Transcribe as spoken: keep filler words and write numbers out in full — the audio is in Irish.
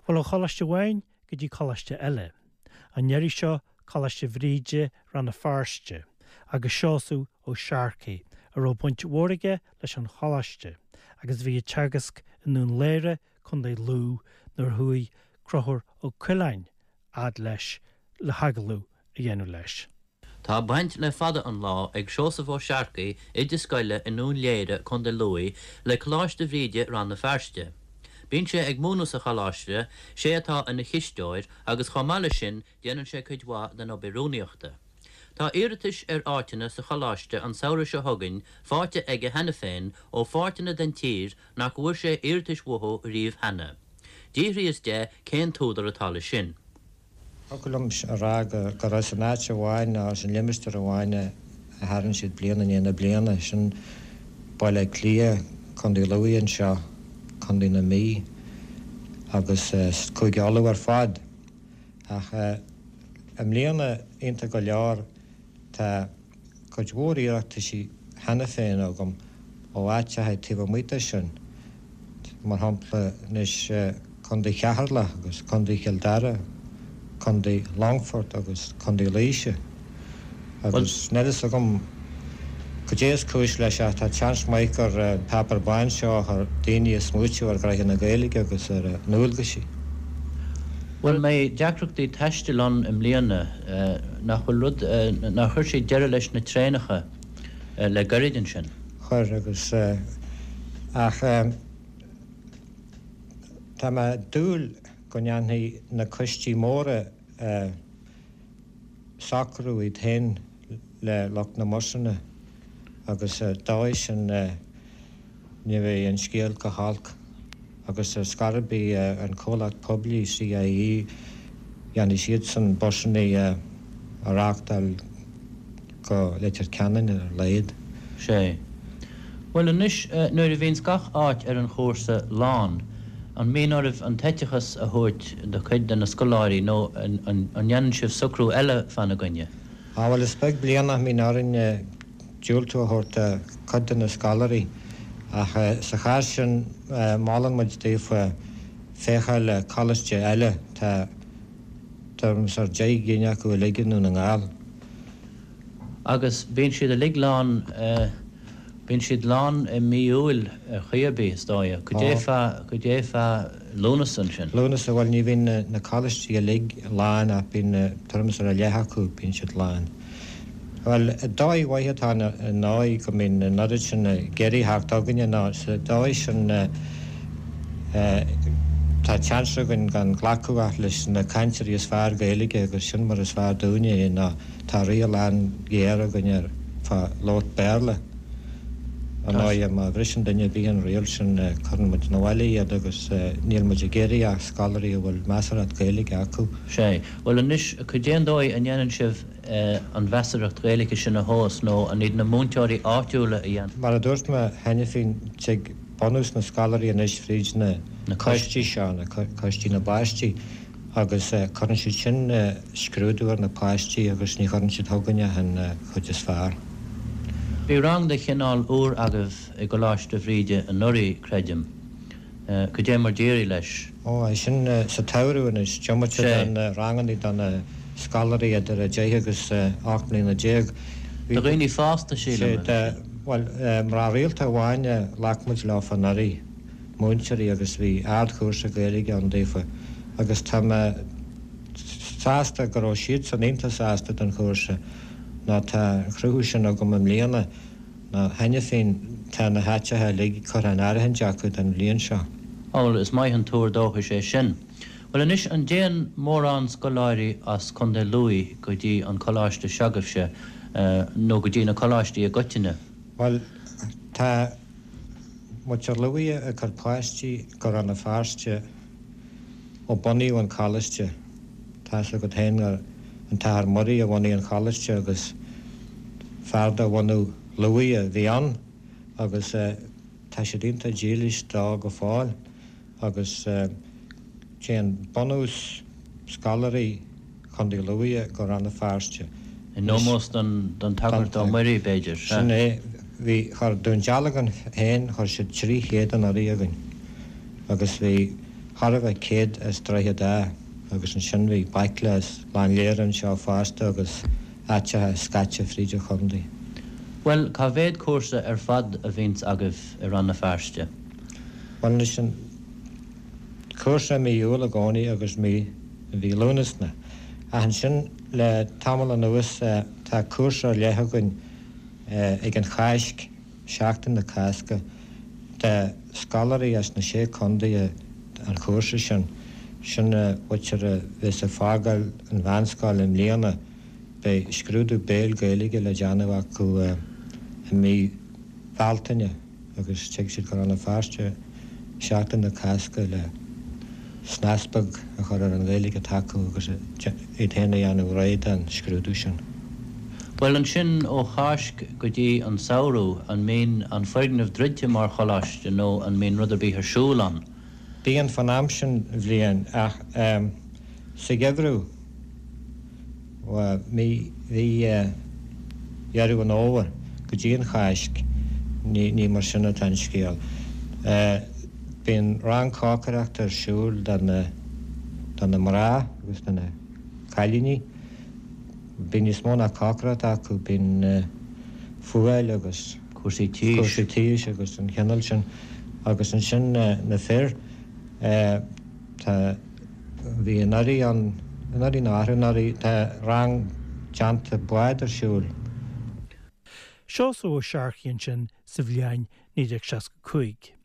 Bhuel ó choláiste amháin go dtí coláiste eile. An iarraidh seo Coláiste Bhríde Rann na Feirste, agus Seosamh Ó Searcaigh a raibh baint mhór aige leis an choláiste, agus bhí ag teagasc i nDún Léire Contae Lú nuair a chuaigh Conchúr Ó Coileáin fhad leis le hagallamh a dhéanamh leis. Tá baint le fada an lá ag Seosamh Ó Searcaigh oide scoile i nDún Léire Contae Lú le Coláiste Bhríde Rann na Feirste. Bíonn sé ag múineadh sa choláiste sé atá ina chisteoir agus chomh maith leis sin déanann sé cuid mhaith den obair rúnaíochta. Tá iarratais ar áiteanna sa choláiste an samhradh seo chugainn faighte aige cheana féin ó pháirteanna den tír nach bhfuair sé iarratais uathu riamh cheana. D'fhiafraíos de cén t-údar atá leis sin. Thiocfadh liom a rá gur as an áit amháin nó as an limistéar amháin a tharann siad bliain i ndiaidh na bliana sin Baile Átha Cliath, Contae Lú anseo, Contae na Mí agus Cúige Uladh ar fad. Ach i mbliana iontach go leor tá cuid mhór iarrataisí cheana féin agam ó áiteacha taobh amuigh de sin, mar shampla anois Contae Cheatharlach agus Contae Chill Dara, Contae Longfort agus Contae Laoise. Agus níl a fhios agam cad é is cúis leis ach tá seans maith gur an páipéar bán seo a chuir daoine ag smaoitiú ar ghnoithe na Gaeilge agus ar a ndualgaisí. Bhuel mbeidh deacrachtaí taistil ann i mbliana nach bhfuil rud nár chuir siad deireadh leis na traenacha le gairid ansin. Chuir agus ach tá mé ag dúil go ndéanfaidh na coistí móra socrú iad féin le lucht na mbusanna agus sa dóigh sin ní bheidh an scéal chomh holc agus ar scor ar bith an comhlacht poiblí CIE dhéanfaidh siadsan busanna a reáchtáil go Leitir Ceanainn ar a laghad. Sé. Bhuel anois nuair a bhíonns gach áit ar an chúrsa lán, an mbíonn oraibh an t-eiteachas a thabhairt do chuid de na scoláirí nó an ndéanann sibh socrú eile fána gcoinne? Á bhuel is beag bliain nach mbíonn orainn diúltú a thabhairt do chuid de na scoláirí ach sa chás sin molann muid daofa féacháil le coláiste eile, tá tuairim is ar deich gcinn acu uilig i nDún na nGall. Agus bíonn siad uilig lán, bíonn siad lán i mí Iúil ar chaoi ar bith, is dóigh. Cad é fá, cad é fá Lúnasa ansin? Lúnasa, bhuel ní bhíonn na coláistí uilig lán ach bíonn tuairim is ar a leath acu, bíonn siad lán. Bhuel, dóigh mhaith atá ann ar ndóigh go mbíonn an oiread sin ag iarraidh theacht chugainne ná sa dóigh sin tá seans againn gan glacadh ach leis na cainteoirí is fearr Gaeilge agus sin mar is fearr dúinne é ná tá riail an-ghéar againn ar fá labhairt Béarla. Ar ndóigh má bhriseann duine ar bith an riail sin cuireann muid 'na bhaile iad agus níl muid ag iarraidh ach scoláirí a bhfuil measarthacht Gaeilge acu. Sé. Bhuel anois, cad é an dóigh a ndéanann sibh an mheasarthacht Ghaeilge sin a thomhas nó an iad na múinteoirí áitiúla a dhéanann? Mar a dúirt mé cheana féin, tig bunús na scoláirí anois fríd na coistí seo, na coistí na bpáistí, agus cuireann siad sin scrúdú ar na páistí agus ní chuireann siad chugainn ach an chuid is fearr. Bhí rang de chineál úr agaibh i gColáiste Bhríde anuraidh, creidim. Cad é mar d'éirigh leis? Ó, é sin sa tsamhradh anois, diomaite Sé. de na ranganna do na scoláirí idir a deich agus ocht mbliana déag. Bhí. Do dhaoine fásta, Sé, sílim, a bhí de, sé. bhuel, mná rialta amháin a ghlac muid leofa anuraidh, múinteoirí, agus bhí ardchúrsa Gaeilge ann daofa agus tá mé sásta go raibh siadsan iontach sásta don chúrsa ná tá an cruthú sin agam i mbliana ná cheana féin tá na háiteacha uilig curtha in áirithint acu don bhliain seo. Á bhuel, is maith an tuar dóchais é sin. Bhuel anois, an dtéann mórán scoláirí as Contae Lú go dtí an coláiste se'agaibhse nó go dtí na coláistí i gcoitinne? Bhuel, tá muintir Lú ag cur páistí go Rann na Feirste ó bunaíodh an coláiste. Tá's agat féin gur an tAthair Muirí a bhunaigh an choláiste agus fear de bhunadh Lú a bhí ann agus tá siad iontach dílis dó go fóill agus téann bunús scoláirí Chontae Lú go Rann na Feirste. In ómós don don tSagart Ó Muirí, b'fhéidir, sea. Sin é. Bhí, chuir Dún Dealgan féin, chuir siad trí chéad anuraidh chugainn agus bhí, Chóir a bheith céad as Droichead Átha agus ansin bhí baicle as Gleann Léire anseo fosta agus áiteacha scaite fríd an chontae. Bhuel, cá mhéad cúrsa ar fad a bhíonns agaibh i Rann na Feirste? Bhuel anois an cúrsa i mí Iúil i gcónaí agus mí mhí Lúnasa. Ach ansin le tamall anuas tá cúrsa ar leith againn ag an Cháisc, Seachtain na Cásca, do scoláirí as na Sé Chontae an chúrsa sin. Sin muintir a bheas ag fágáil an mheánscoil i mbliana. Beidh scrúdú béil Gaeilge le déanamh acu i mí Bealtaine agus tig siad go Rann na Feirste Seachtain na Cásca le snas beag a chur ar an Ghaeilge atá acu agus iad féin a dhéanamh réidh don scrúdú sin. Bhuel ansin ó Cháisc go dtí an samhradh, an mbíonn an foirgneamh druidte mar choláiste nó an mbíonn rud ar bith ar siúl ann? Bíonn fan am sin bhliain ach sa gheimhreadh, mí mhí Dheireadh an Fhómhair go dtí an Cháisc, ní ní mar sin atá an scéal. Bíonn rang cócaireachta ar siúl do na do na mná agus do na cailíní. Bíonn níos mó ná cócaireacht acu, bíonn fuáil agus cúrsaí tís. cúrsaí tís agus an chineál sin. Agus ansin na fir, tá bhí anuraidh ann, anuraidh nó arú-anuraidh, tá rang déanta bád ar siúl. Seosamh Ó Searcaigh ansin sa bhliain naoi déag seasca cúig.